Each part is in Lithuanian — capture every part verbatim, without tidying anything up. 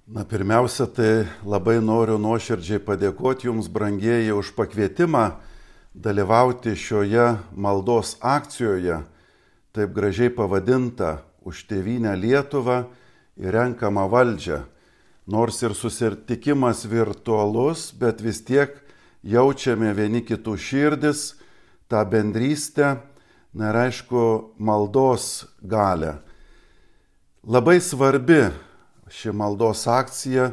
Na, pirmiausia, tai labai noriu nuoširdžiai padėkoti Jums, brangieji, už pakvietimą dalyvauti šioje maldos akcijoje, taip gražiai pavadinta už tėvynę Lietuvą ir renkamą valdžią. Nors ir susitikimas virtualus, bet vis tiek jaučiame vieni kitų širdis, tą bendrystę, na ir aišku, maldos galę. Labai svarbi ši maldos akcija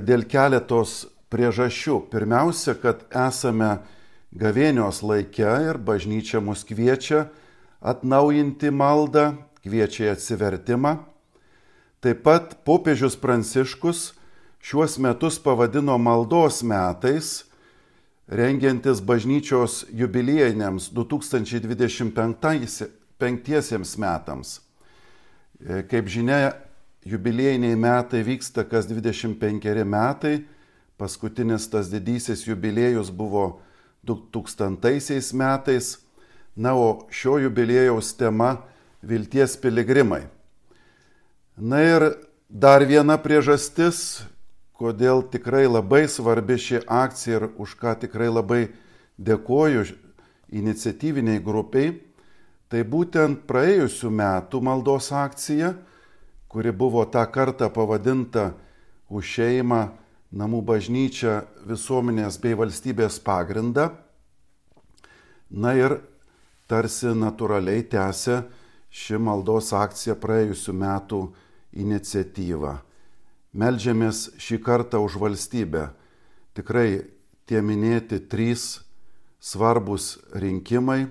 dėl keletos priežasčių. Pirmiausia, kad esame gavėnios laike ir bažnyčia mus kviečia atnaujinti maldą, kviečia į atsivertimą. Taip pat popiežius Pranciškus šiuos metus pavadino maldos metais, rengiantis bažnyčios jubiliejiniams du tūkstančiai dvidešimt penktiesiems metams. Kaip žinia, jubiliejiniai metai vyksta kas dvidešimt penkeri metai, paskutinis tas didysis jubiliejus buvo du tūkstantaisiais metais, na, o šio jubiliejaus tema – vilties piligrimai. Na ir dar viena priežastis, kodėl tikrai labai svarbi ši akcija ir už ką tikrai labai dėkoju iniciatyviniai grupiai, tai būtent praėjusių metų maldos akcija, kuri buvo tą kartą pavadinta už šeimą, namų bažnyčią, visuomenės bei valstybės pagrindą. Na ir tarsi natūraliai tęsia ši maldos akcija praėjusių metų iniciatyvą. Meldžiamės šį kartą už valstybę. Tikrai tie minėti trys svarbus rinkimai.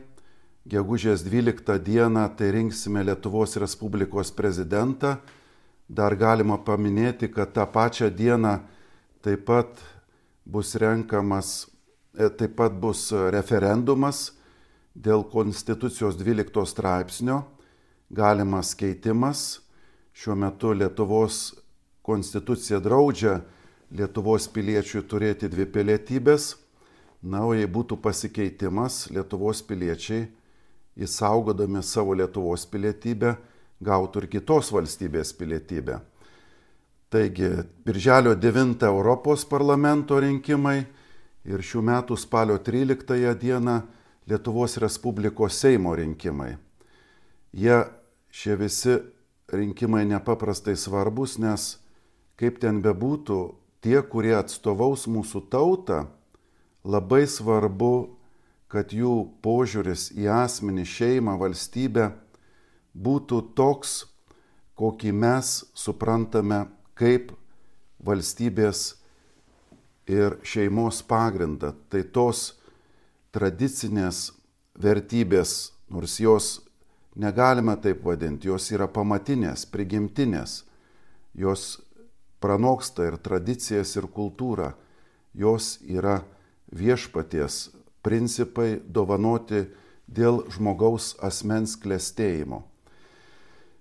Gegužės dvyliktą dieną tai rinksime Lietuvos Respublikos prezidentą. Dar galima paminėti, kad tą pačią dieną taip pat bus renkamas, taip pat bus referendumas dėl Konstitucijos dvylikto straipsnio, galimas keitimas. Šiuo metu Lietuvos konstitucija draudžia Lietuvos piliečiui turėti dvi pilietybės. Na, o jei būtų pasikeitimas, Lietuvos piliečiai, įsaugodami savo Lietuvos pilietybę, gautų ir kitos valstybės pilietybę. Taigi, birželio devintą Europos parlamento rinkimai ir šių metų spalio tryliktąją dieną Lietuvos Respublikos Seimo rinkimai. Jie, šie visi rinkimai nepaprastai svarbus, nes kaip ten bebūtų, tie, kurie atstovaus mūsų tautą, labai svarbu, kad jų požiūris į asmenį, šeimą, valstybę būtų toks, kokį mes suprantame kaip valstybės ir šeimos pagrindą. Tai tos tradicinės vertybės, nors jos negalime taip vadinti, jos yra pamatinės, prigimtinės, jos pranoksta ir tradicijas, ir kultūrą, jos yra viešpaties principai dovanoti dėl žmogaus asmens klestėjimo.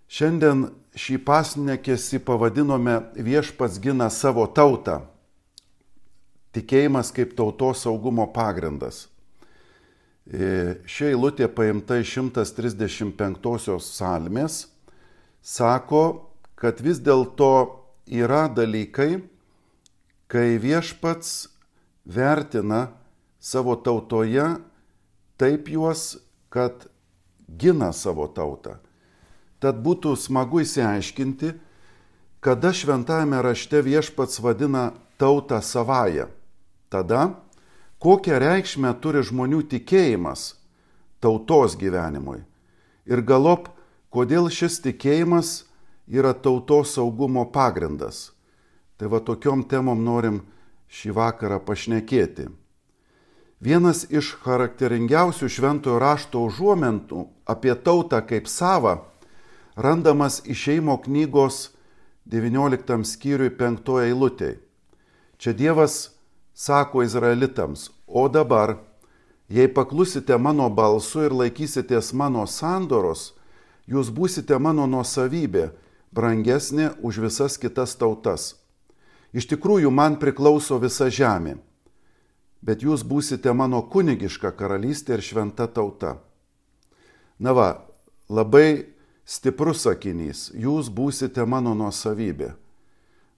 Šiandien šį pasninkesį pavadinome Viešpats gina savo tautą. Tikėjimas kaip tautos saugumo pagrindas. Ši eilutė paimta iš šimtas trisdešimt penktosios psalmės, sako, kad vis dėlto yra dalykai, kai viešpats vertina savo tautoje taip juos, kad gina savo tautą. Tad būtų smagu įsiaiškinti, kada šventajame rašte viešpats vadina tautą savąją. Tada, kokią reikšmę turi žmonių tikėjimas tautos gyvenimui. Ir galop, kodėl šis tikėjimas yra tautos saugumo pagrindas. Tai va tokiom temom norim šį vakarą pašnekėti. Vienas iš charakteringiausių šventojo rašto užuominų apie tautą kaip savą randamas Išėjimo knygos devynioliktam skyriui penktoj eilutėj. Čia Dievas sako izraelitams, o dabar, jei paklusite mano balsu ir laikysitės mano sandoros, jūs būsite mano nuosavybė, brangesnė už visas kitas tautas. Iš tikrųjų, man priklauso visa žemė, bet jūs būsite mano kunigiška karalystė ir šventa tauta. Na va, labai stiprus sakinys, jūs būsite mano nuosavybė.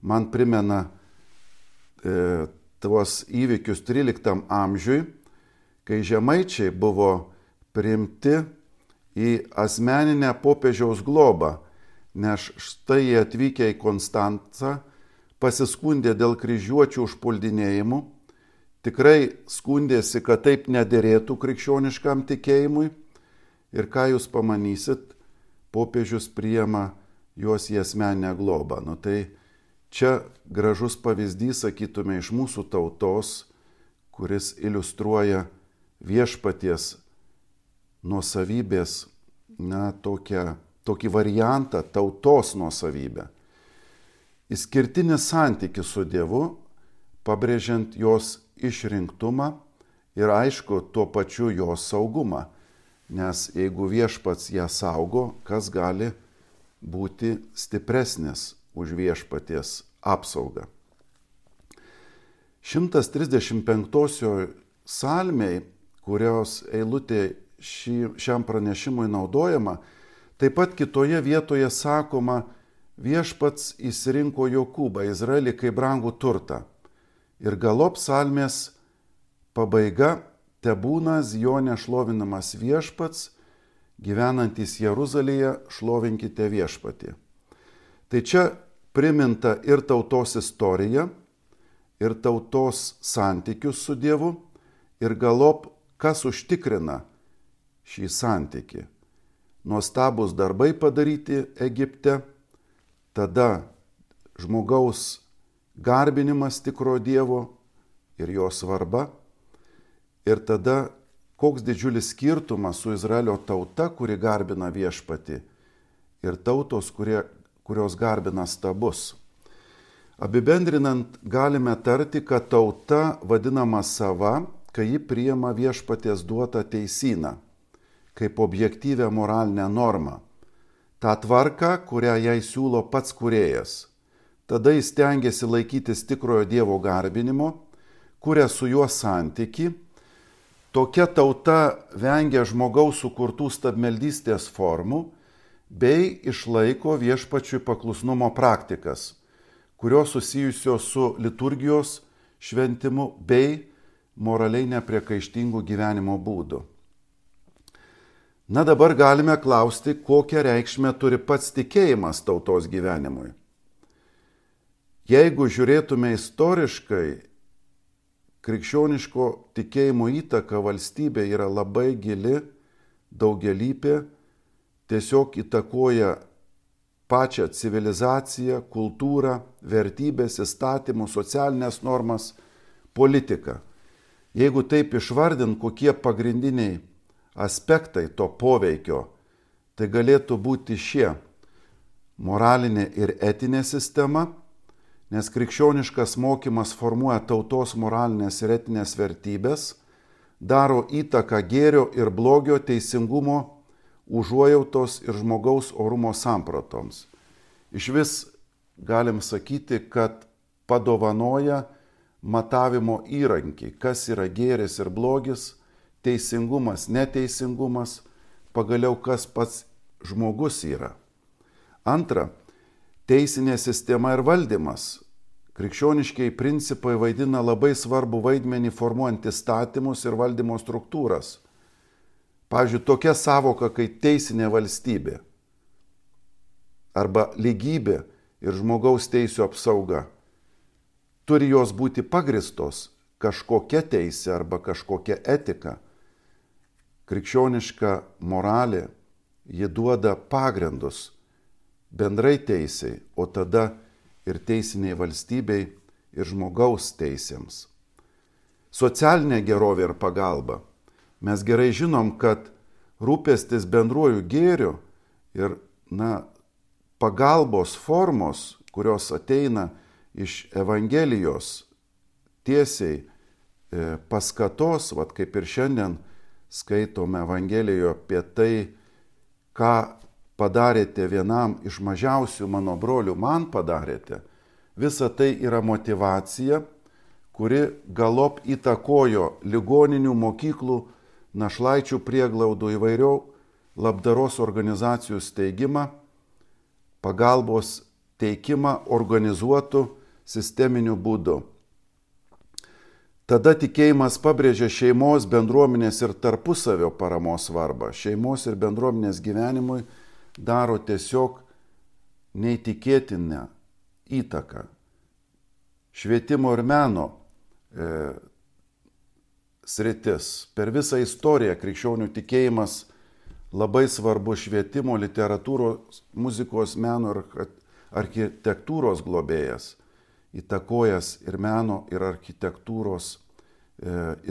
man primena e, tuos įvykius tryliktam amžiui, kai žemaičiai buvo priimti į asmeninę popiežiaus globą, nes štai jie atvykę į Konstancą pasiskundė dėl kryžiuočių užpuldinėjimų, tikrai skundėsi, kad taip nederėtų krikščioniškam tikėjimui ir ką jūs pamanysit, popiežius priima juos į asmeninę globą. Nu, tai čia gražus pavyzdys, sakytume, iš mūsų tautos, kuris iliustruoja viešpaties nuosavybės, na, tokią, tokį variantą tautos nuosavybę. Išskirtinis santykis su Dievu, pabrėžiant jos išrinktumą ir aišku, tuo pačiu jos saugumą. Nes jeigu viešpats ją saugo, kas gali būti stipresnis už viešpaties apsaugą. šimtas trisdešimt penktosioj psalmėj, kurios eilutė šį, šiam pranešimui naudojama, taip pat kitoje vietoje sakoma, viešpats išsirinko Jokūbą, Izraelį kaip brangų turtą. Ir galop psalmės pabaiga, tebūna Zione šlovinamas viešpats, gyvenantis Jeruzalėje, šlovinkite viešpatį. Tai čia priminta ir tautos istorija, ir tautos santykius su Dievu, ir galop, kas užtikrina šį santykį. Nuostabūs darbai padaryti Egipte, tada žmogaus garbinimas tikro Dievo ir jo svarba, ir tada koks didžiulis skirtumas su Izraelio tauta, kuri garbina viešpatį, ir tautos, kurie, kurios garbina stabus. Apibendrinant, galime tarti, kad tauta vadinama sava, kai ji priima viešpaties duotą teisyną, kaip objektyvę moralinę normą. Ta tvarka, kurią jai siūlo pats kūrėjas. Tada jis stengiasi laikytis tikrojo Dievo garbinimo, kuria su juo santyki. Tokia tauta vengia žmogaus sukurtų stabmeldystės formų bei išlaiko viešpačiui paklusnumo praktikas, kurios susijusios su liturgijos šventimu bei moraliai nepriekaištingų gyvenimo būdų. Na dabar galime klausti, kokią reikšmę turi pats tikėjimas tautos gyvenimui. Jeigu žiūrėtume istoriškai, krikščioniško tikėjimo įtaka valstybė yra labai gili, daugialypė, tiesiog įtakoja pačią civilizaciją, kultūrą, vertybės, įstatymus, socialinės normas, politiką. Jeigu taip išvardint, kokie pagrindiniai aspektai to poveikio, tai galėtų būti šie: moralinė ir etinė sistema, nes krikščioniškas mokymas formuoja tautos moralinės ir etinės vertybės, daro įtaką gėrio ir blogio, teisingumo, užuojautos ir žmogaus orumo sampratoms. Iš vis galim sakyti, kad padovanoja matavimo įrankį, kas yra gėris ir blogis, teisingumas, neteisingumas, pagaliau kas pats žmogus yra. Antra, teisinė sistema ir valdymas. Krikščioniškiai principai vaidina labai svarbu vaidmenį formuojant įstatymus ir valdymo struktūras. Pavyzdžiui, tokia savoka kaip teisinė valstybė arba lygybė ir žmogaus teisių apsauga. Turi jos būti pagristos kažkokia teisė arba kažkokia etika. Krikščioniška moralė, ji duoda pagrindus bendrai teisei, o tada ir teisiniai valstybei ir žmogaus teisėms. Socialinė gerovė ir pagalba. Mes gerai žinom, kad rūpestis bendruoju gėriu ir na, pagalbos formos, kurios ateina iš Evangelijos tiesiai e, paskatos, vat kaip ir šiandien skaitome Evangelijoje apie tai, ką padarėte vienam iš mažiausių mano brolių, man padarėte. Visa tai yra motyvacija, kuri galop įtakojo ligoninių, mokyklų, našlaičių prieglaudų, įvairių labdaros organizacijų steigimą, pagalbos teikimą organizuotų sisteminiu būdu. Tada tikėjimas pabrėžia šeimos, bendruomenės ir tarpusavio paramos svarbą. Šeimos ir bendruomenės gyvenimui daro tiesiog neįtikėtiną įtaką. Švietimo ir meno e, sritis. Per visą istoriją krikščionių tikėjimas labai svarbu švietimo, literatūros, muzikos, meno ir architektūros globėjas, įtakojęs ir meno, ir architektūros e,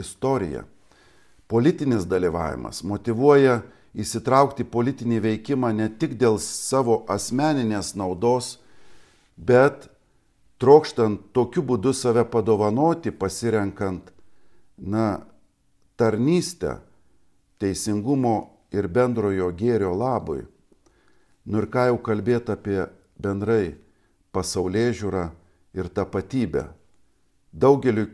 istoriją. Politinis dalyvavimas motyvuoja įsitraukti politinį veikimą ne tik dėl savo asmeninės naudos, bet trokštant tokiu būdu save padovanoti, pasirenkant na, tarnystę teisingumo ir bendrojo gėrio labui. Nu ir ką jau kalbėti apie bendrai pasaulėžiūrą ir tapatybę. Daugeliu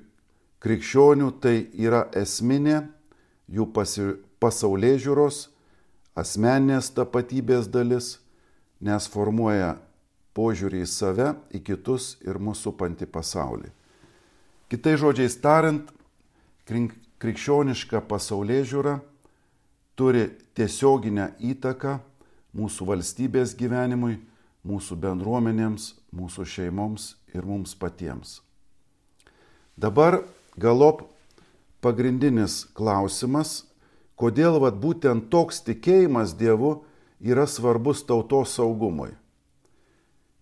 krikščionių tai yra esminė jų pasi, pasaulėžiūros, asmeninės tapatybės dalis, nes formuoja požiūrį į save, į kitus ir mūsų supantį pasaulį. Kitais žodžiais tariant, krikščioniška pasaulėžiūra turi tiesioginę įtaką mūsų valstybės gyvenimui, mūsų bendruomenėms, mūsų šeimoms ir mums patiems. Dabar galop pagrindinis klausimas, kodėl vat, būtent toks tikėjimas Dievu yra svarbus tautos saugumui.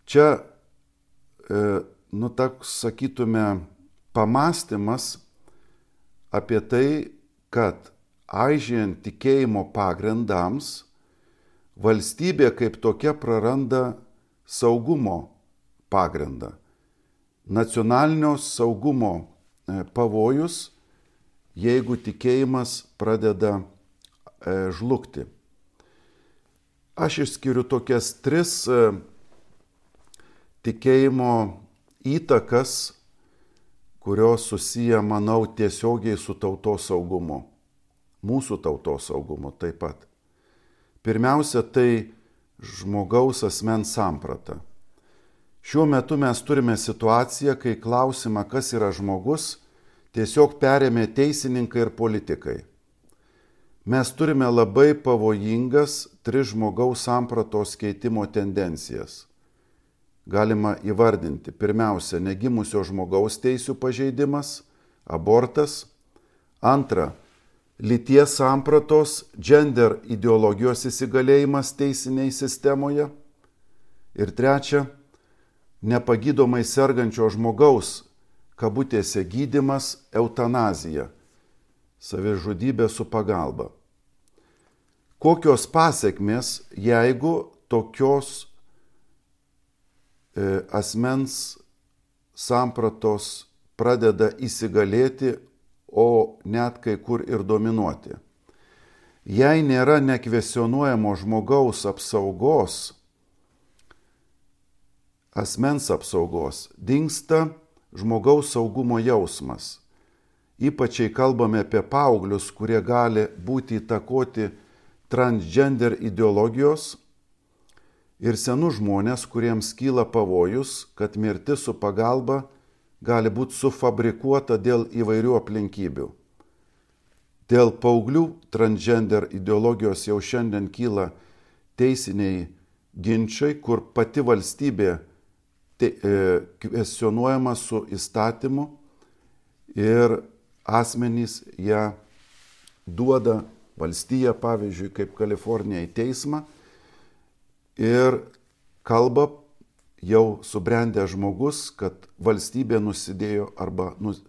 Čia, e, nu, toks, sakytume, pamastymas apie tai, kad aižėjant tikėjimo pagrindams, valstybė kaip tokia praranda saugumo pagrindą. Nacionalinio saugumo pavojus, jeigu tikėjimas pradeda žlugti. Aš išskiriu tokias tris tikėjimo įtakas, kurios susiję, manau, tiesiogiai su tautos saugumu. Mūsų tautos saugumu taip pat. Pirmiausia, tai žmogaus asmens samprata. Šiuo metu mes turime situaciją, kai klausimą, kas yra žmogus, tiesiog perėmė teisininkai ir politikai. Mes turime labai pavojingas tris žmogaus sampratos keitimo tendencijas. Galima įvardinti. Pirmiausia, negimusio žmogaus teisių pažeidimas, abortas. Antra, lyties sampratos, gender ideologijos įsigalėjimas teisinėje sistemoje. Ir trečia, nepagydomai sergančio žmogaus, kabutėse gydymas, eutanazija, savižudybė su pagalba. Kokios pasekmės, jeigu tokios e, asmens sampratos pradeda įsigalėti, o net kai kur ir dominuoti. Jei nėra nekvestionuojamo žmogaus apsaugos, asmens apsaugos, dingsta žmogaus saugumo jausmas. Ypač kalbame apie paauglius, kurie gali būti įtakoti transgender ideologijos, ir senus žmonės, kuriems kyla pavojus, kad mirtis su pagalba gali būti sufabrikuota dėl įvairių aplinkybių. Dėl paauglių transgender ideologijos jau šiandien kyla teisiniai ginčiai, kur pati valstybė te, e, kvestionuojama su įstatymu ir asmenys ją duoda valstija, pavyzdžiui, kaip Kalifornija, į teismą ir kalba jau subrendęs žmogus, kad valstybė nusidėjo arba nus,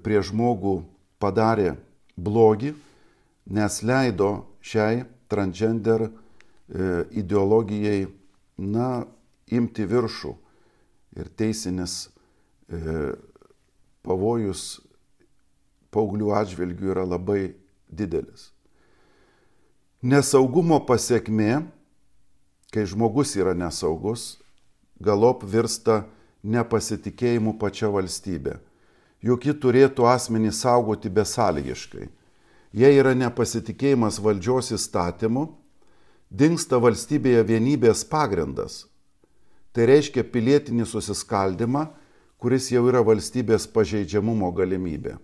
prie žmogų padarė blogį, nes leido šiai transgender ideologijai na, imti viršų. Ir teisinis e, pavojus paauglių atžvilgių yra labai didelis. Nesaugumo pasiekmė, kai žmogus yra nesaugus, galop virsta nepasitikėjimu pačia valstybė. Juk ji turėtų asmenį saugoti besąlygiškai. Jei yra nepasitikėjimas valdžios įstatymu, dingsta valstybėje vienybės pagrindas. Tai reiškia pilietinį susiskaldimą, kuris jau yra valstybės pažeidžiamumo galimybė.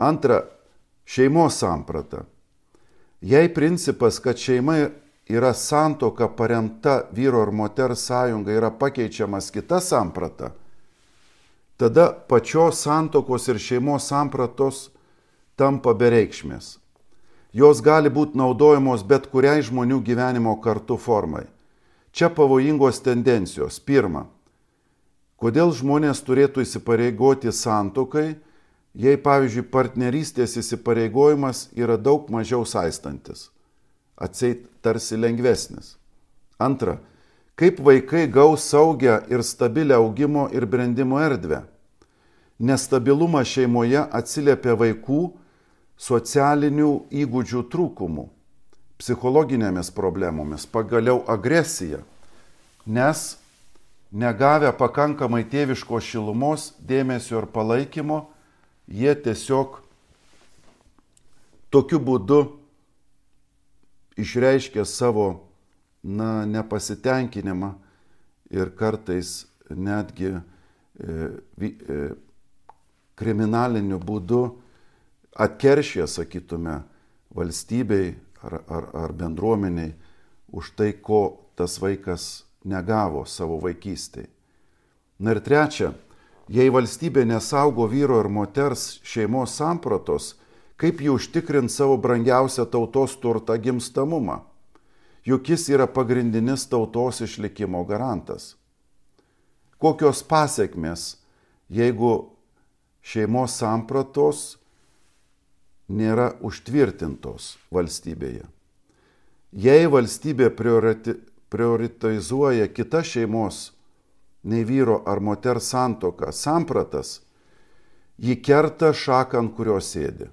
Antra, šeimos samprata. Jei principas, kad šeima yra santuoka paremta vyro ir moters sąjunga, yra pakeičiamas kita samprata, tada pačios santuokos ir šeimos sampratos tampa bereikšmės. Jos gali būti naudojamos bet kuriai žmonių gyvenimo kartu formai. Čia pavojingos tendencijos. Pirma, kodėl žmonės turėtų įsipareigoti santuokai, jei, pavyzdžiui, partnerystės įsipareigojimas yra daug mažiau saistantis, atseit tarsi lengvesnis. Antra, kaip vaikai gaus saugią ir stabilią augimo ir brendimo erdvę. Nestabilumas šeimoje atsiliepia vaikų socialinių įgūdžių trūkumų, psichologinėmis problemomis, pagaliau agresija, nes negavę pakankamai tėviško šilumos, dėmesio ir palaikymo, jie tiesiog tokiu būdu išreiškia savo na, nepasitenkinimą ir kartais netgi e, e, kriminaliniu būdu atkeršė, sakytume, valstybei ar, ar, ar bendruomeniai už tai, ko tas vaikas negavo savo vaikystėje. Na ir trečia, jei valstybė nesaugo vyro ir moters šeimos sampratos, kaip jį užtikrint savo brangiausią tautos turtą gimstamumą? Juk jis yra pagrindinis tautos išlikimo garantas. Kokios pasiekmės, jeigu šeimos sampratos nėra užtvirtintos valstybėje? Jei valstybė prioriti, prioritizuoja kitas šeimos nei vyro ar moters santuoką sampratas, ji kerta šaką, ant kurios sėdi.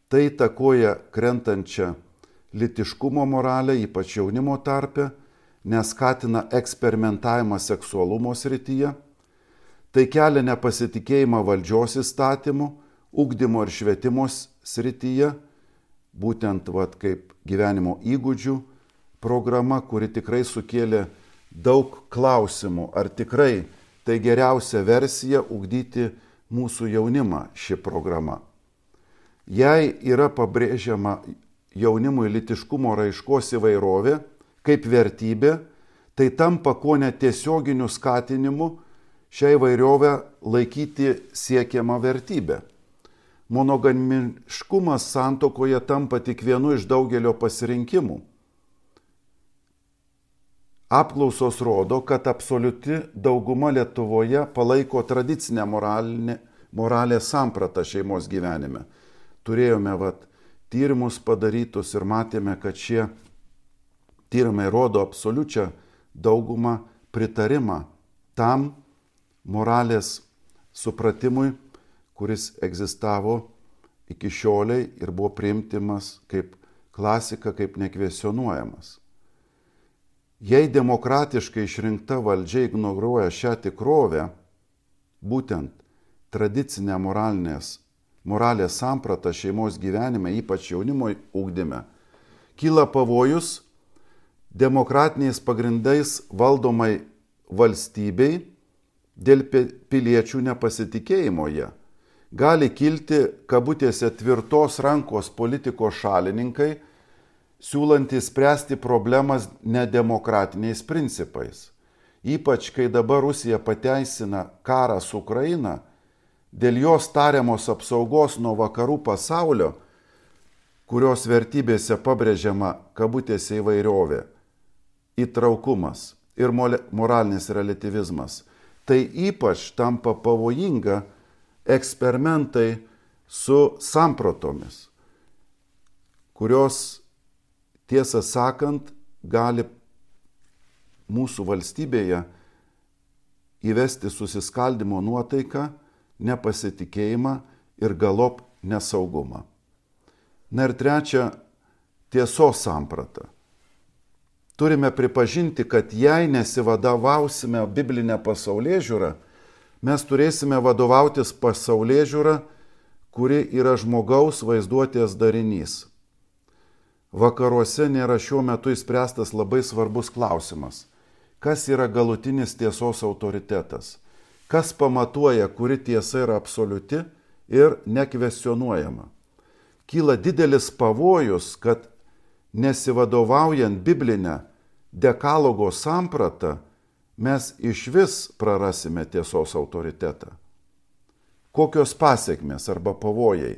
Tai įtakoja krentančią lytiškumo moralę, ypač jaunimo tarpe, neskatina eksperimentavimą seksualumo srityje, tai kelia nepasitikėjimą valdžios įstatymų, ugdymo ir švietimo srityje, būtent vat, kaip gyvenimo įgūdžių programa, kuri tikrai sukėlė daug klausimų, ar tikrai tai geriausia versija ugdyti mūsų jaunimą ši programa. Jei yra pabrėžiama jaunimui lytiškumo raiškos įvairovė kaip vertybė, tai tampa ko netiesioginiu skatinimu šią įvairovę laikyti siekiamą vertybę. Monogamiškumas santuokoje tampa tik vienu iš daugelio pasirinkimų. Apklausos rodo, kad absoliuti dauguma Lietuvoje palaiko tradicinę moralinę, moralės sampratą šeimos gyvenime. Turėjome vat, tyrimus padarytus ir matėme, kad šie tyrimai rodo absoliučią daugumą pritarimą tam moralės supratimui, kuris egzistavo iki šioliai ir buvo priimtimas kaip klasika, kaip nekvestionuojamas. Jei demokratiškai išrinkta valdžia ignoruoja šią tikrovę, būtent tradicinę moralinės, moralės sampratą šeimos gyvenime, ypač jaunimo ugdyme, kyla pavojus demokratiniais pagrindais valdomai valstybei dėl piliečių nepasitikėjimo jie. Gali kilti, kabutėse, tvirtos rankos politikos šalininkai, siūlantys spręsti problemas nedemokratiniais principais. Ypač, kai dabar Rusija pateisina karą su Ukraina, dėl jos tariamos apsaugos nuo vakarų pasaulio, kurios vertybėse pabrėžiama, kabutėse, įvairovė, įtraukumas ir moralinis relativizmas, tai ypač tampa pavojinga eksperimentai su sampratomis, kurios, tiesą sakant, gali mūsų valstybėje įvesti susiskaldimo nuotaiką, nepasitikėjimą ir galop nesaugumą. Na ir trečia, tiesos samprata. Turime pripažinti, kad jei nesivadovausime biblinę pasaulėžiūrą, mes turėsime vadovautis pasaulėžiūra, kuri yra žmogaus vaizduotės darinys. Vakaruose nėra šiuo metu išspręstas labai svarbus klausimas. kas yra galutinis tiesos autoritetas, kas pamatuoja, kuri tiesa yra absoliuti ir nekvestionuojama. Kyla didelis pavojus, kad nesivadovaujant biblinę dekalogo sampratą, mes iš vis prarasime tiesos autoritetą. Kokios pasiekmės arba pavojai?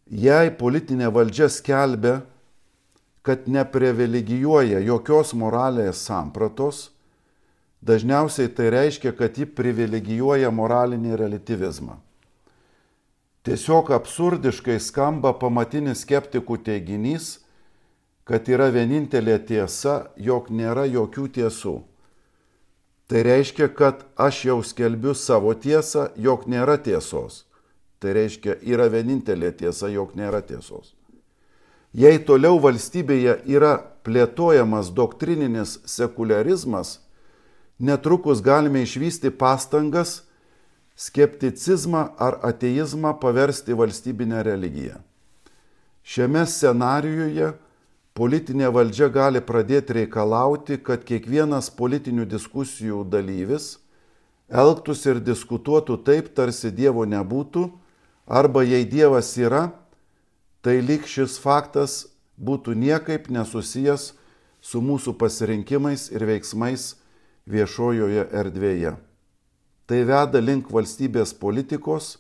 Jei politinė valdžia skelbia, kad neprivilegijuoja jokios moralės sampratos, dažniausiai tai reiškia, kad ji privilegijuoja moralinį relativizmą. Tiesiog absurdiškai skamba pamatinis skeptikų teiginys, kad yra vienintelė tiesa, jog nėra jokių tiesų. Tai reiškia, kad aš jau skelbiu savo tiesą, jog nėra tiesos. Tai reiškia, yra vienintelė tiesa, jog nėra tiesos. Jei toliau valstybėje yra plėtojamas doktrininis sekuliarizmas, netrukus galime išvysti pastangas skepticizmą ar ateizmą paversti valstybinę religiją. Šiame scenarijuje politinė valdžia gali pradėti reikalauti, kad kiekvienas politinių diskusijų dalyvis elgtųsi ir diskutuotų taip, tarsi Dievo nebūtų, arba jei Dievas yra, tai lyg šis faktas būtų niekaip nesusijęs su mūsų pasirinkimais ir veiksmais viešojoje erdvėje. Tai veda link valstybės politikos,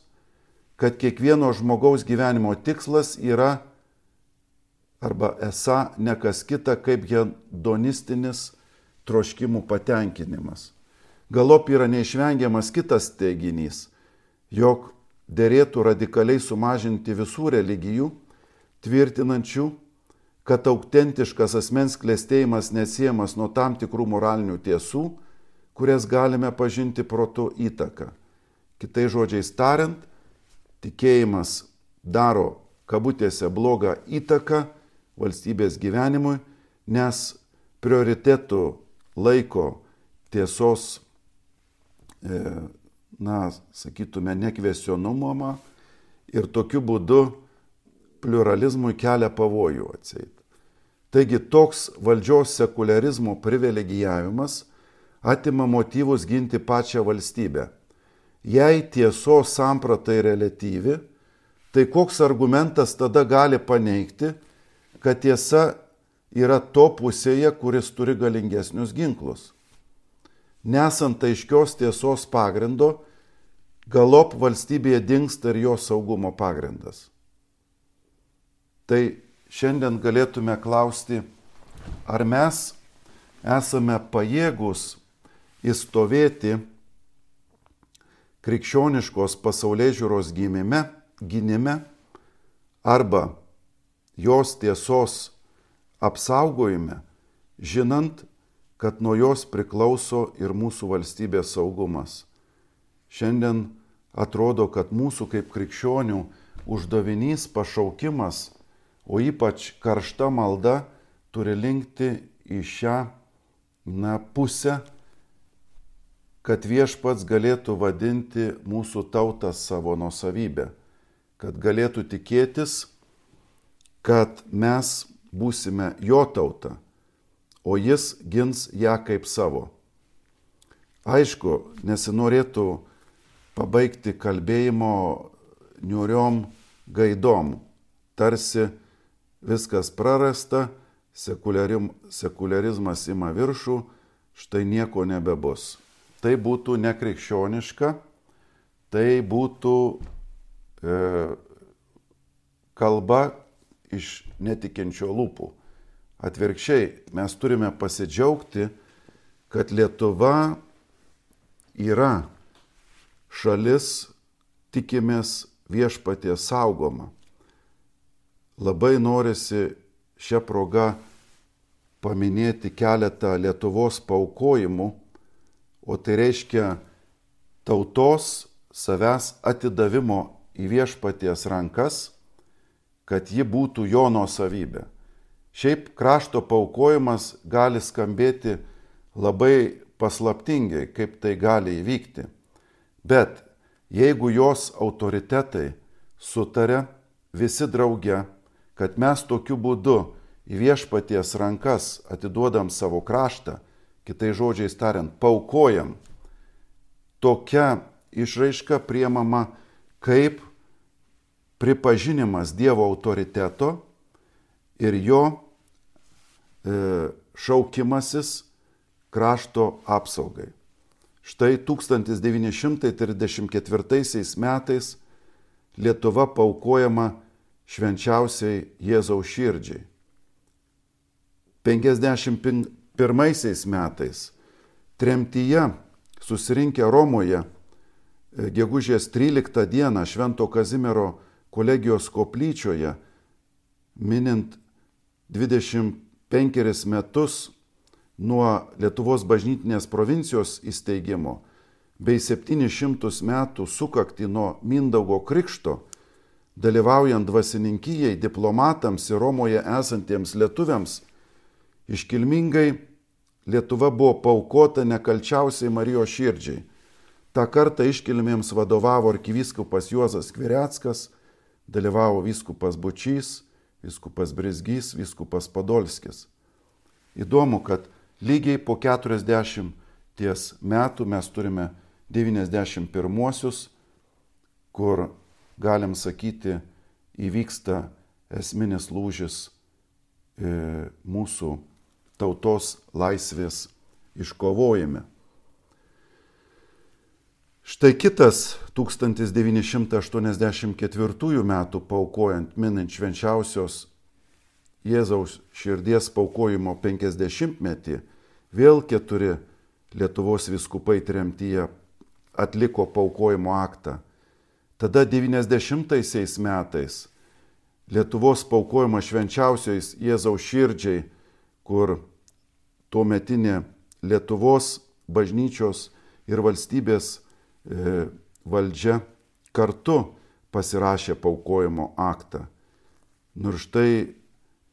kad kiekvieno žmogaus gyvenimo tikslas yra arba esą ne kas kita kaip hedonistinis troškimų patenkinimas. Galop yra neišvengiamas kitas teiginys, jog derėtų radikaliai sumažinti visų religijų, tvirtinančių, kad autentiškas asmens klestėjimas nesiejamas nuo tam tikrų moralinių tiesų, kurias galime pažinti protu įtaką. Kitais žodžiais tariant, tikėjimas daro kabutėse blogą įtaką valstybės gyvenimui, nes prioritetų laiko tiesos, na, sakytume, nekvestionumą ir tokiu būdu pliuralizmui kelia pavojų atseit. Taigi toks valdžios sekuliarizmo privilegijavimas atima motyvus ginti pačią valstybę. Jei tiesos samprata yra reliatyvi, tai koks argumentas tada gali paneigti, kad tiesa yra to pusėje, kuris turi galingesnius ginklus? Nesant aiškios tiesos pagrindo, galop valstybėje dingsta ir jos saugumo pagrindas. Tai šiandien galėtume klausti, ar mes esame pajėgus įstovėti krikščioniškos pasaulėžiūros gynime, gynime arba jos tiesos apsaugojime, žinant, kad nuo jos priklauso ir mūsų valstybės saugumas. Šiandien atrodo, kad mūsų kaip krikščionių uždavinys, pašaukimas, o ypač karšta malda turi linkti į šią na, pusę, kad viešpats galėtų vadinti mūsų tautą savo nuosavybę, kad galėtų tikėtis, kad mes būsime jo tauta, o jis gins ją kaip savo. Aišku, nesinorėtų pabaigti kalbėjimo niūriom gaidom, tarsi viskas prarasta, sekuliarizmas ima viršų, štai nieko nebebus. Tai būtų nekrikščioniška, tai būtų e, kalba iš netikinčio lūpų. Atvirkščiai, mes turime pasidžiaugti, kad Lietuva yra šalis, tikimės, viešpaties saugoma. Labai norisi šią progą paminėti keletą Lietuvos paaukojimų, o tai reiškia tautos savęs atidavimo į viešpaties rankas, kad ji būtų jo nuosavybė. Šiaip krašto paaukojimas gali skambėti labai paslaptingai, kaip tai gali įvykti. Bet jeigu jos autoritetai sutarė visi drauge, kad mes tokiu būdu į viešpaties rankas atiduodam savo kraštą, kitai žodžiais tariant, paukojam, tokia išraiška priemama kaip pripažinimas Dievo autoriteto ir jo e, šaukimasis krašto apsaugai. Štai tūkstantis devyni šimtai trisdešimt ketvirtaisiais metais Lietuva paaukojama švenčiausiai Jėzaus širdžiai. penkiasdešimt pirmaisiais metais tremtyje susirinkę Romoje gegužės tryliktą dieną Švento Kazimiero kolegijos koplyčioje, minint dvidešimt penkerius metus nuo Lietuvos bažnytinės provincijos įsteigimo bei septynis šimtus metų sukaktį nuo Mindaugo krikšto, dalyvaujant dvasininkijai, diplomatams ir Romoje esantiems lietuviams, iškilmingai Lietuva buvo paaukota nekalčiausiai Marijos širdžiai. Ta kartą iškilmėms vadovavo arkivyskupas Juozas Skvireckas, dalyvavo vyskupas Bučys, vyskupas Brizgys, vyskupas Podolskis. Įdomu, kad lygiai po keturiasdešimties metų mes turime devyniasdešimt pirmuosius, kur, galim sakyti, įvyksta esminis lūžis e, mūsų tautos laisvės iškovojime. Štai kitas tūkstantis devyni šimtai aštuoniasdešimt ketvirtųjų metų paaukojant minint švenčiausios Jėzaus širdies paaukojimo penkiasdešimtmetį, vėl keturi Lietuvos vyskupai tremtyje atliko paaukojimo aktą. Tada devyniasdešimtaisiais metais Lietuvos paaukojimas švenčiausiais Jėzaus širdžiai, kur tuometinė Lietuvos bažnyčios ir valstybės e, valdžia kartu pasirašė paaukojimo aktą. Nors štai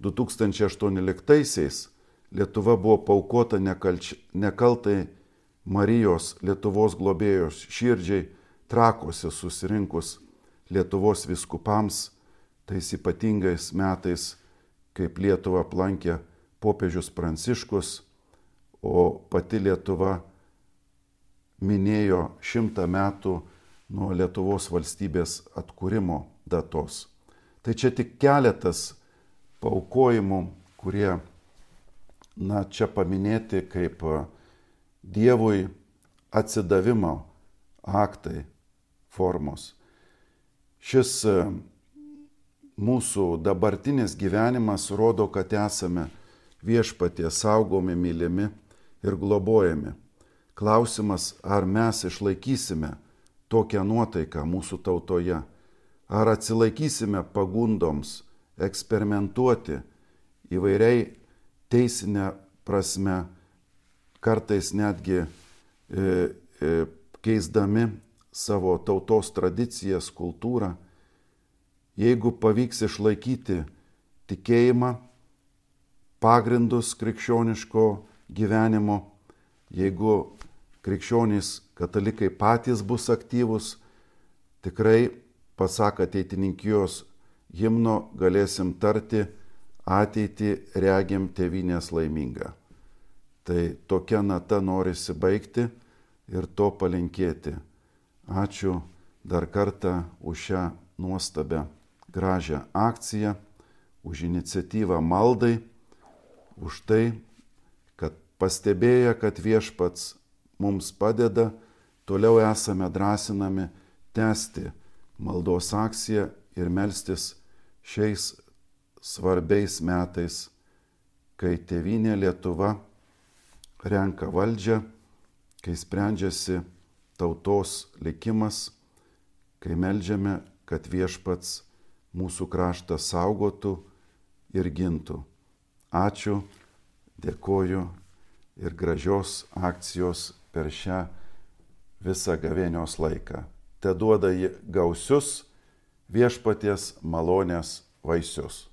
du tūkstančiai aštuonioliktaisiais Lietuva buvo paaukota nekalč... nekaltai Marijos Lietuvos globėjos širdžiai Trakuose susirinkus Lietuvos vyskupams, tais ypatingais metais, kaip Lietuvą aplankė popiežius Pranciškus, o pati Lietuva minėjo šimtą metų nuo Lietuvos valstybės atkūrimo datos. Tai čia tik keletas paaukojimų, kurie, na, čia paminėti kaip Dievui atsidavimo aktai formos. Šis mūsų dabartinis gyvenimas rodo, kad esame viešpaties saugomi, mylimi ir globojami. Klausimas, ar mes išlaikysime tokią nuotaiką mūsų tautoje, ar atsilaikysime pagundoms eksperimentuoti įvairiai teisinę prasme, kartais netgi e, e, keisdami savo tautos tradicijas, kultūrą. Jeigu pavyks išlaikyti tikėjimą, pagrindus krikščioniško gyvenimo, jeigu krikščionys katalikai patys bus aktyvus, tikrai, pasak ateitininkijos himno, galėsim tarti ateitį regim tėvynės laimingą. Tai tokia nata norisi baigti ir to palinkėti. Ačiū dar kartą už šią nuostabią, gražią akciją, už iniciatyvą maldai, už tai, kad pastebėję, kad viešpats mums padeda, toliau esame drąsinami tęsti maldos akciją ir melstis šiais svarbiais metais, kai tėvynė Lietuva renka valdžią, kai sprendžiasi tautos likimas, kai meldžiame, kad viešpats mūsų kraštą saugotų ir gintų. Ačiū, dėkoju ir gražios akcijos per šią visą gavėnios laiką. Te duoda gausius viešpaties malonės vaisius.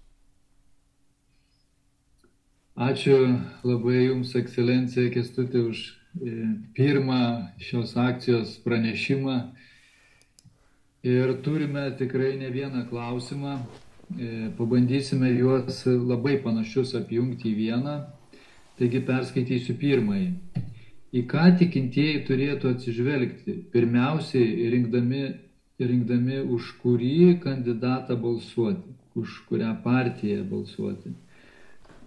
Ačiū labai Jums, ekscelencija Kęstuti, už pirmą šios akcijos pranešimą. Ir turime tikrai ne vieną klausimą. Pabandysime juos labai panašius apjungti į vieną. taigi perskaitysiu pirmąjį. Į ką tikintieji turėtų atsižvelgti, pirmiausiai rinkdami, rinkdami už kurį kandidatą balsuoti, už kurią partiją balsuoti.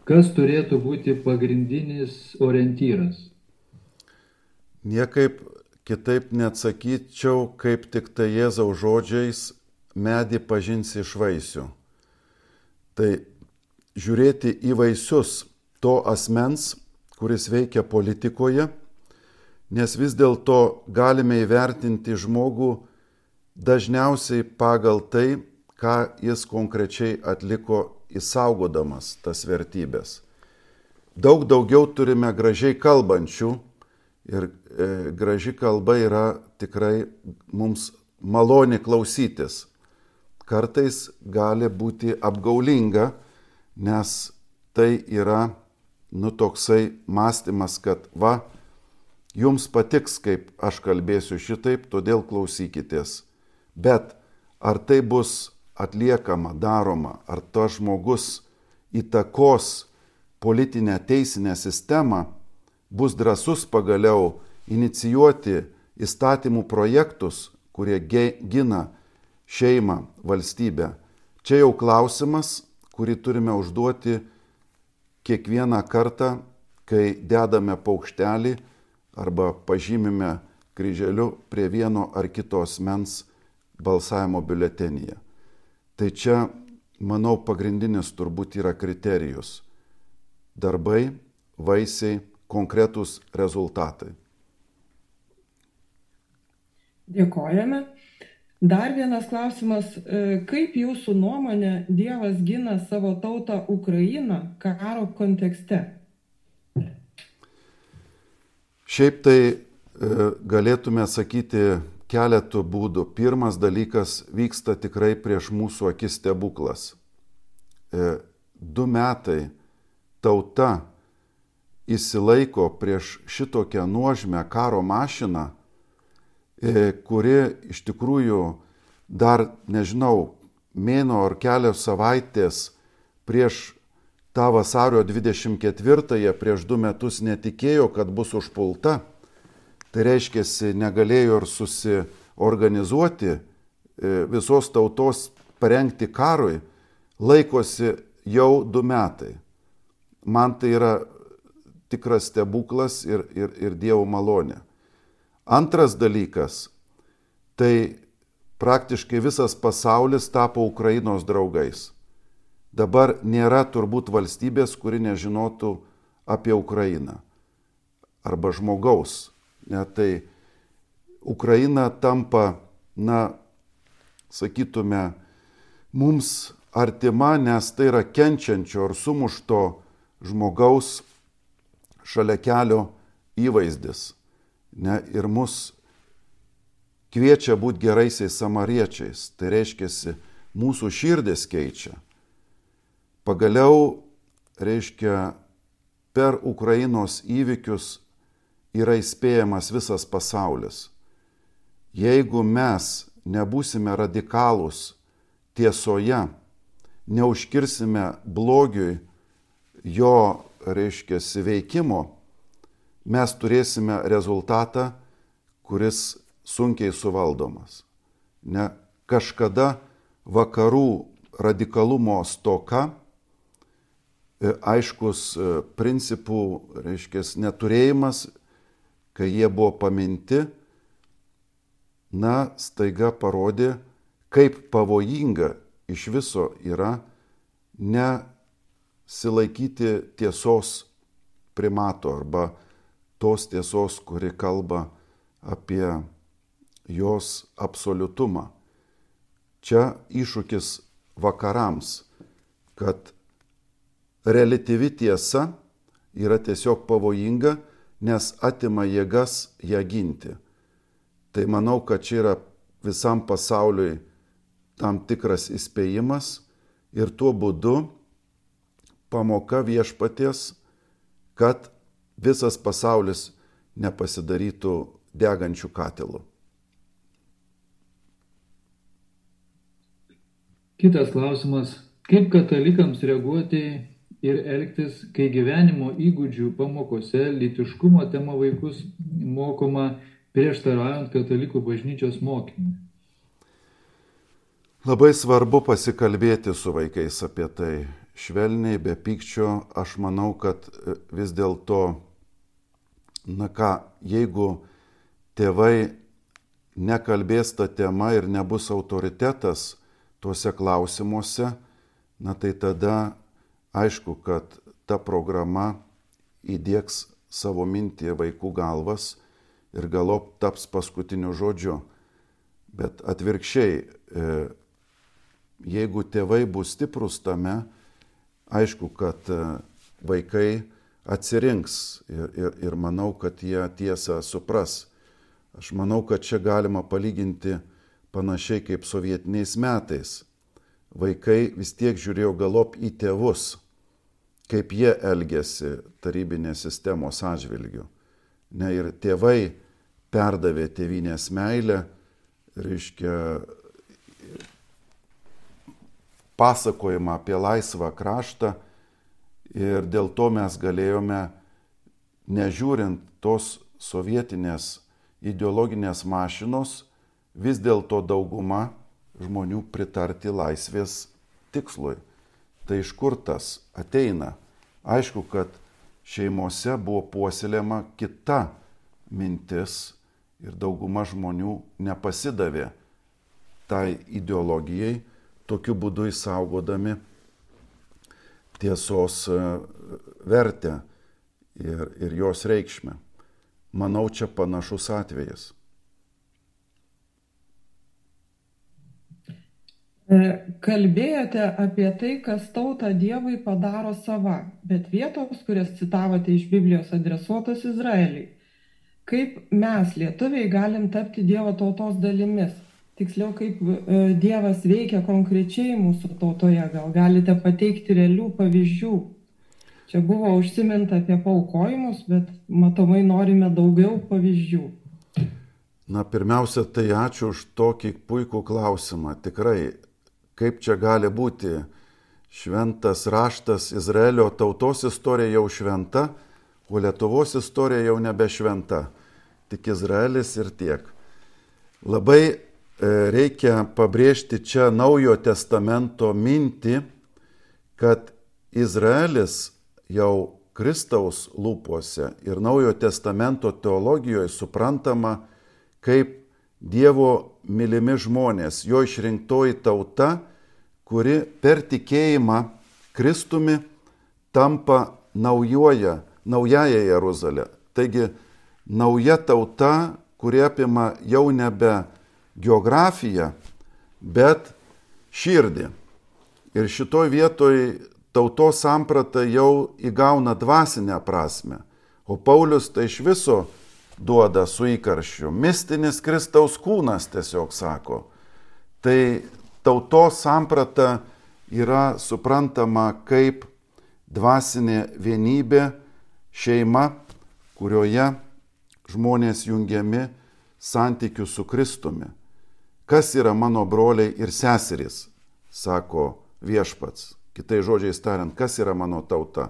Kas turėtų būti pagrindinis orientyras? Niekaip kitaip neatsakyčiau, kaip tik tai Jėzaus žodžiais medį pažinsi iš vaisių. Tai žiūrėti į vaisius to asmens, kuris veikia politikoje, nes vis dėlto galime įvertinti žmogų dažniausiai pagal tai, ką jis konkrečiai atliko įsaugodamas tas vertybės. Daug daugiau turime gražiai kalbančių ir e, graži kalba yra tikrai mums maloni klausytis. Kartais gali būti apgaulinga, nes tai yra nu toksai mąstymas, kad va, jums patiks, kaip aš kalbėsiu šitaip, todėl klausykitės. Bet ar tai bus atliekama, daroma, ar tas žmogus įtakos politinę teisinę sistemą, bus drąsus pagaliau inicijuoti įstatymų projektus, kurie gina šeimą, valstybę. Čia jau klausimas, kurį turime užduoti kiekvieną kartą, kai dedame paukštelį arba pažymime kryželiu prie vieno ar kito asmens balsavimo biuletenyje. Tai čia, manau, pagrindinis turbūt yra kriterijus. Darbai, vaisiai, konkretūs rezultatai. Dėkojame. Dar vienas klausimas. Kaip jūsų nuomonė Dievas gina savo tautą Ukrainą karo kontekste? Šiaip tai galėtume sakyti keletų būdų. Pirmas dalykas, vyksta tikrai prieš mūsų akis stebuklas. Du metai tauta įsilaiko prieš šitokią nuožmę karo mašiną, kuri iš tikrųjų dar, nežinau, mėno ar kelios savaitės prieš tą vasario dvidešimt ketvirtąją, prieš du metus netikėjo, kad bus užpulta. Tai reiškia, negalėjo ir susiorganizuoti visos tautos parengti karui, laikosi jau du metai. Man tai yra tikras stebuklas ir, ir, ir Dievo malonė. Antras dalykas, tai praktiškai visas pasaulis tapo Ukrainos draugais. Dabar nėra turbūt valstybės, kuri nežinotų apie Ukrainą arba žmogaus. Ne, tai Ukraina tampa, na, sakytume, mums artima, nes tai yra kenčiančio ar sumušto žmogaus šalia kelio įvaizdis. Ne, ir mus kviečia būti geraisiais samariečiais. Tai reiškia, mūsų širdis keičia. Pagaliau, reiškia, per Ukrainos įvykius yra įspėjamas visas pasaulis. Jeigu mes nebūsime radikalūs tiesoje, neužkirsime blogiui jo, reiškia, veikimo, mes turėsime rezultatą, kuris sunkiai suvaldomas. Ne, kažkada vakarų radikalumo stoka, aiškus principų, reiškia, neturėjimas, kai jie buvo paminti, na, staiga parodė, kaip pavojinga iš viso yra nesilaikyti tiesos primato arba tos tiesos, kuri kalba apie jos absoliutumą. Čia iššūkis vakarams, kad reliatyvi tiesa yra tiesiog pavojinga, nes atima jėgas ją ginti. Tai manau, kad čia yra visam pasauliui tam tikras įspėjimas ir tuo būdu pamoka viešpaties, kad visas pasaulis nepasidarytų degančių katilų. Kitas klausimas. Kaip katalikams reaguoti ir elgtis, kai gyvenimo įgūdžių pamokose lytiškumo tema vaikus mokoma prieštaraujant katalikų bažnyčios mokymui? Labai svarbu pasikalbėti su vaikais apie tai. Švelniai, be pykčio. Aš manau, kad vis dėlto, na ką, jeigu tėvai nekalbės tą temą ir nebus autoritetas tuose klausimuose, na tai tada aišku, kad ta programa įdiegs savo mintį vaikų galvas ir galop taps paskutiniu žodžiu. Bet atvirkščiai, jeigu tėvai bus stiprus tame, aišku, kad vaikai atsirinks ir, ir, ir manau, kad jie tiesą supras. Aš manau, kad čia galima palyginti panašiai kaip sovietiniais metais. Vaikai vis tiek žiūrėjo galop į tėvus, kaip jie elgėsi tarybinės sistemos atžvilgiu. Ne, ir tėvai perdavė tėvynės meilę, reiškia pasakojimą apie laisvą kraštą ir dėl to mes galėjome, nežiūrint tos sovietinės ideologinės mašinos, vis dėlto dauguma žmonių pritarti laisvės tikslui. Tai iš kur tas ateina? Aišku, kad šeimose buvo puoselėjama kita mintis ir dauguma žmonių nepasidavė tai ideologijai, tokiu būdu išsaugodami tiesos vertę ir, ir jos reikšmę. Manau, čia panašus atvejas. Kalbėjote apie tai, kas tautą Dievui padaro sava, bet vietos, kurias citavote iš Biblijos, adresuotos Izraeliui. Kaip mes, lietuviai, galim tapti Dievo tautos dalimis? Tiksliau, kaip Dievas veikia konkrečiai mūsų tautoje? Gal galite pateikti realių pavyzdžių? Čia buvo užsiminta apie paaukojimus, bet matomai norime daugiau pavyzdžių. Na, pirmiausia, tai ačiū už tokį puikų klausimą. Tikrai, kaip čia gali būti? Šventas raštas, Izraelio tautos istorija jau šventa, o Lietuvos istorija jau nebe šventa. Tik Izraelis ir tiek. Labai reikia pabrėžti čia Naujojo testamento mintį, kad Izraelis jau Kristaus lūpose ir Naujojo testamento teologijoje suprantama kaip Dievo mylimi žmonės, jo išrinktoji tauta, kuri per tikėjimą Kristumi tampa naujoja, naująją Jeruzalę. Taigi nauja tauta, kuri apima jau nebe geografiją, bet širdį. Ir šitoj vietoj tautos samprata jau įgauna dvasinę prasme. O Paulius tai iš viso duoda su įkarščiu. Mistinis Kristaus kūnas tiesiog sako. Tai tautos samprata yra suprantama kaip dvasinė vienybė, šeima, kurioje žmonės jungiami santykių su Kristumi. Kas yra mano broliai ir seserys, sako viešpats. Kitais žodžiais tariant, kas yra mano tauta?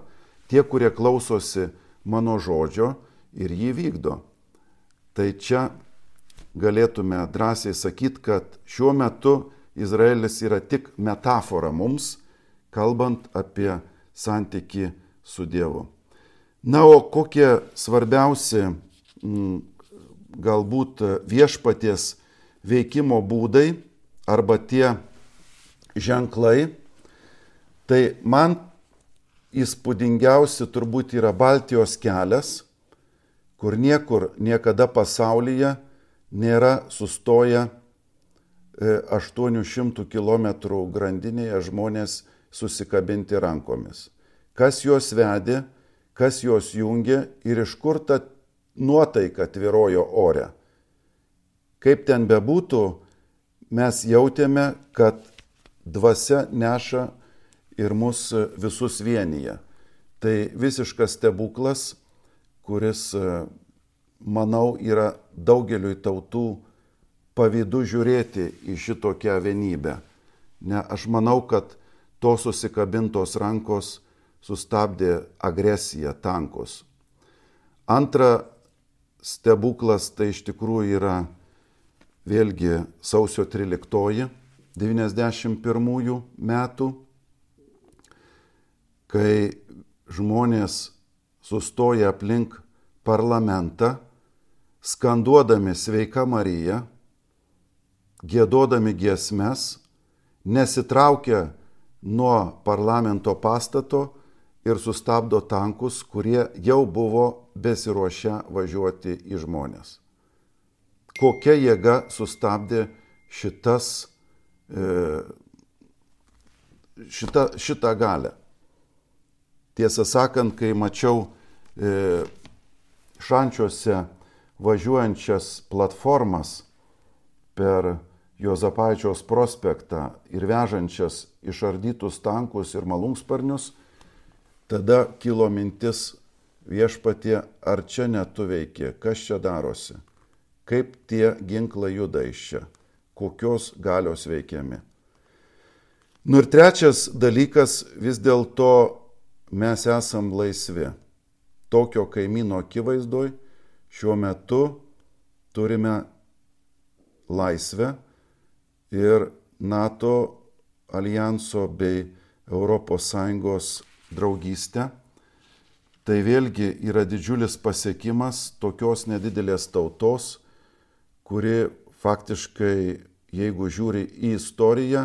Tie, kurie klausosi mano žodžio ir jį vykdo. Tai čia galėtume drąsiai sakyti, kad šiuo metu Izraelis yra tik metafora mums, kalbant apie santykį su Dievu. Na, o kokie svarbiausi m, galbūt viešpaties veikimo būdai arba tie ženklai, tai man įspūdingiausi turbūt yra Baltijos kelias, kur niekur niekada pasaulyje nėra sustoję aštuonių šimtų kilometrų grandinėje žmonės susikabinti rankomis. Kas juos vedė, kas juos jungė ir iš kur ta nuotaika tvyrojo ore. Kaip ten bebūtų, mes jautėme, kad dvasia neša ir mus visus vienyje. Tai visiškas stebuklas, kuris, manau, yra daugeliui tautų pavydu žiūrėti į šitokią vienybę. Ne, aš manau, kad tos susikabintos rankos sustabdė agresiją tankus. Antra stebuklas tai iš tikrųjų yra vėlgi sausio tryliktoji devyniasdešimt pirmųjų metų, kai žmonės sustoja aplink parlamentą, skanduodami Sveika Marija, giedodami giesmes, nesitraukia nuo parlamento pastato ir sustabdo tankus, kurie jau buvo besiruošę važiuoti į žmones. Kokia jėga sustabdė šitas, šitą, šitą galę. Tiesą sakant, kai mačiau Šančiuose važiuojančias platformas per Juozapaičiaus prospektą ir vežančias išardytus tankus ir malūnsparnius, tada kilo mintis: Viešpatie, ar čia netu veiki, kas čia darosi, kaip tie ginklai juda iš čia, kokios galios veikiami. Nu ir trečias dalykas, vis dėlto mes esam laisvi. Tokio kaimyno akivaizdoj šiuo metu turime laisvę ir NATO alijanso bei Europos Sąjungos draugystę. Tai vėlgi yra didžiulis pasiekimas tokios nedidelės tautos, kuri faktiškai, jeigu žiūri į istoriją,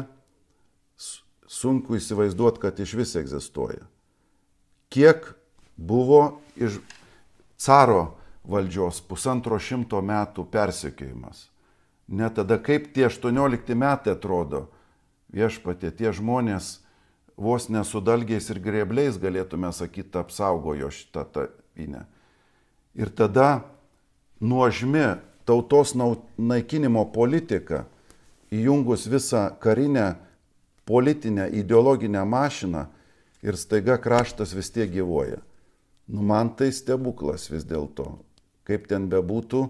sunku įsivaizduoti, kad iš vis egzistuoja. Kiek buvo iš caro valdžios pusantro šimto metų persekiojimas. Net tada, kaip tie aštuoniolikti metai atrodo, Viešpatie, tie žmonės vos nesudalgiais ir grėbliais, galėtume sakyti, apsaugojo šitą tėvynę. Ir tada nuožmi tautos naikinimo politika, įjungus visą karinę, politinę, ideologinę mašiną, ir staiga kraštas vis tiek gyvuoja. Nu, man tai stebuklas vis dėlto. Kaip ten bebūtų,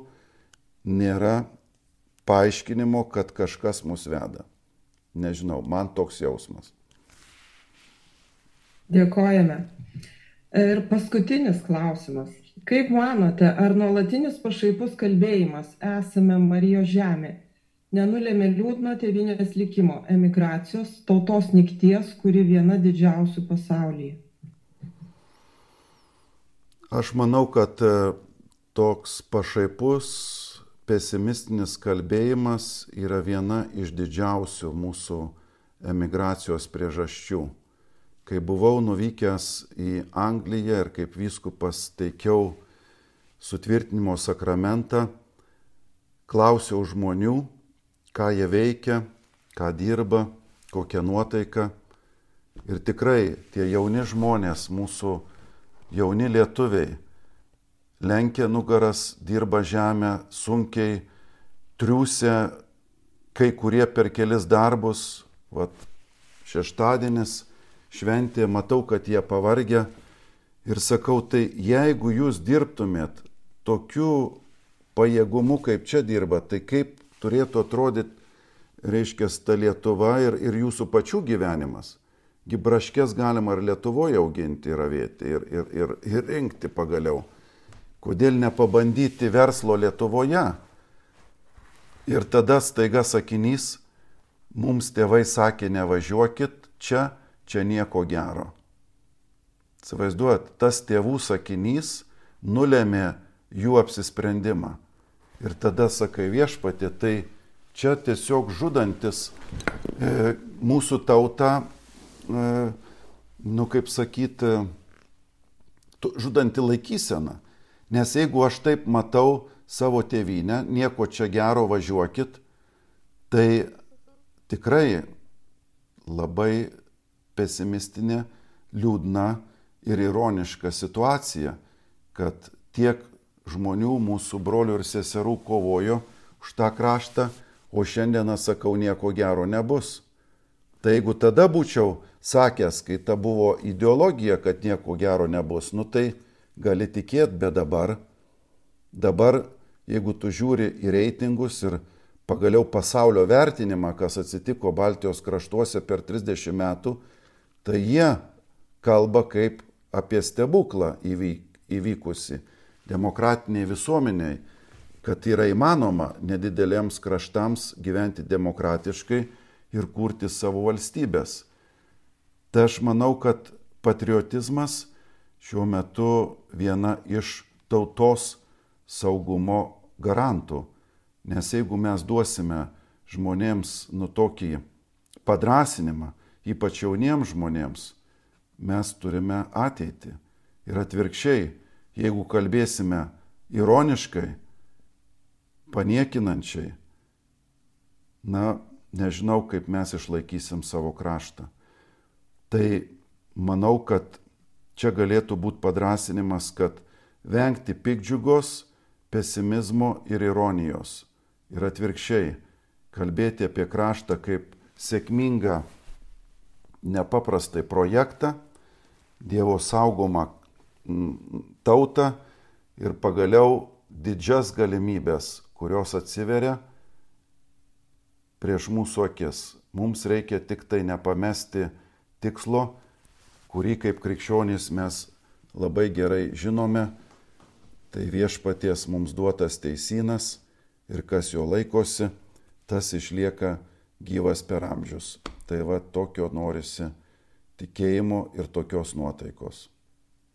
nėra paaiškinimo, kad kažkas mus veda. Nežinau, man toks jausmas. Dėkojame. Ir paskutinis klausimas. Kaip manote, ar nuolatinis pašaipus kalbėjimas esame Marijos žemė nenulėmė liūdno tėvynės likimo, emigracijos, tautos nykties, kuri viena didžiausių pasaulyje? Aš manau, kad toks pašaipus, pesimistinis kalbėjimas yra viena iš didžiausių mūsų emigracijos priežasčių. Kai buvau nuvykęs į Angliją ir kaip vyskupas teikiau sutvirtinimo sakramentą, klausiau žmonių, ką jie veikia, ką dirba, kokia nuotaika. Ir tikrai tie jauni žmonės, mūsų jauni lietuviai, lenkia nugaras, dirba žemę, sunkiai triūsia, kai kurie per kelis darbus. Vat šeštadienis, šventė, matau, kad jie pavargę. Ir sakau, tai jeigu jūs dirbtumėt tokiu pajėgumu, kaip čia dirba, tai kaip turėtų atrodyti, reiškia, ta Lietuva ir, ir jūsų pačių gyvenimas. Gi braškės galima ir Lietuvoje auginti ir avėti ir, ir, ir, ir rinkti pagaliau. Kodėl nepabandyti verslo Lietuvoje? Ir tada staiga sakinys, mums tėvai sakė, nevažiuokit čia, čia nieko gero. Įsivaizduojat, tas tėvų sakinys nulėmė jų apsisprendimą. Ir tada sakai, Viešpatie, tai čia tiesiog žudantis e, mūsų tauta, e, nu kaip sakyti, žudanti laikysena. Nes jeigu aš taip matau savo tėvynę, nieko čia gero, važiuokit, tai tikrai labai pesimistinė, liūdna ir ironiška situacija, kad tiek žmonių, mūsų brolių ir seserų kovojo už tą kraštą, o šiandieną sakau, nieko gero nebus. Tai jeigu tada būčiau sakęs, kai ta buvo ideologija, kad nieko gero nebus, nu tai gali tikėti, bet dabar, dabar, jeigu tu žiūri į reitingus ir pagaliau pasaulio vertinimą, kas atsitiko Baltijos kraštuose per trisdešimt metų, tai jie kalba kaip apie stebuklą įvykusi demokratiniai visuomeniai, kad yra įmanoma nedideliems kraštams gyventi demokratiškai ir kurti savo valstybės. Tai aš manau, kad patriotizmas šiuo metu viena iš tautos saugumo garantų. Nes jeigu mes duosime žmonėms nu tokį padrasinimą, ypač jauniems žmonėms, mes turime ateitį. Ir atvirkščiai, jeigu kalbėsime ironiškai, paniekinančiai, na, nežinau, kaip mes išlaikysim savo kraštą. Tai manau, kad čia galėtų būti padrasinimas, kad vengti piktdžiugos, pesimizmo ir ironijos. Ir atvirkščiai, kalbėti apie kraštą kaip sėkmingą, nepaprastai projektą, Dievo saugomą tautą ir pagaliau didžias galimybės, kurios atsiveria prieš mūsų akis. Mums reikia tik tai nepamesti tikslo, kurį kaip krikščionys mes labai gerai žinome, tai viešpaties mums duotas teisynas ir kas jo laikosi, tas išlieka gyvas per amžius. Tai va tokio norisi tikėjimo ir tokios nuotaikos.